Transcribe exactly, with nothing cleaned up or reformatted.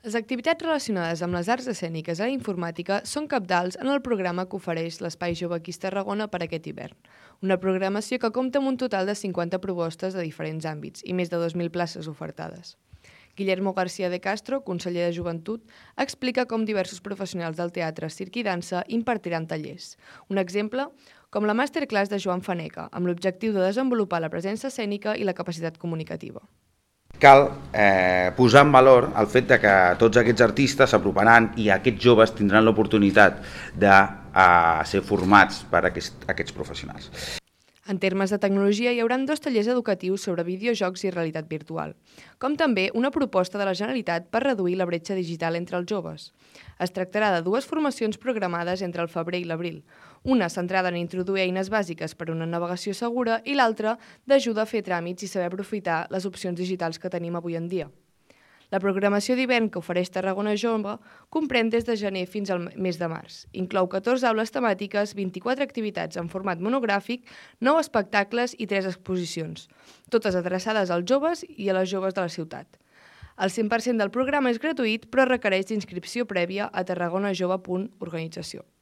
Les activitats relacionades amb les arts escèniques i la informàtica són cabdals en el programa que ofereix l'Espai Jove Quis Tarragona per aquest hivern. Una programació que compta amb un total de cinquanta propostes de diferents àmbits i més de dos mil places ofertades. Guillermo García de Castro, conseller de Joventut, explica com diversos professionals del teatre, circ i dansa impartiran tallers. Un exemple, com la masterclass de Joan Faneca, amb l'objectiu de desenvolupar la presència escènica i la capacitat comunicativa. Cal eh, posar en valor el fet de que tots aquests artistes s'aproparan i aquests joves tindran l'oportunitat de eh, ser formats per aquest, aquests professionals. En termes de tecnologia, hi haurà dos tallers educatius sobre videojocs i realitat virtual, com també una proposta de la Generalitat per reduir la bretxa digital entre els joves. Es tractarà de dues formacions programades entre el febrer i l'abril, una centrada en introduir eines bàsiques per a una navegació segura i l'altra d'ajuda a fer tràmits i saber aprofitar les opcions digitals que tenim avui en dia. La programació d'hivern que ofereix Tarragona Jove comprèn des de gener fins al mes de març. Inclou catorze aules temàtiques, vint-i-quatre activitats en format monogràfic, nou espectacles i tres exposicions, totes adreçades als joves i a les joves de la ciutat. El cent per cent del programa és gratuït, però requereix d'inscripció prèvia a tarragonajove punt organització.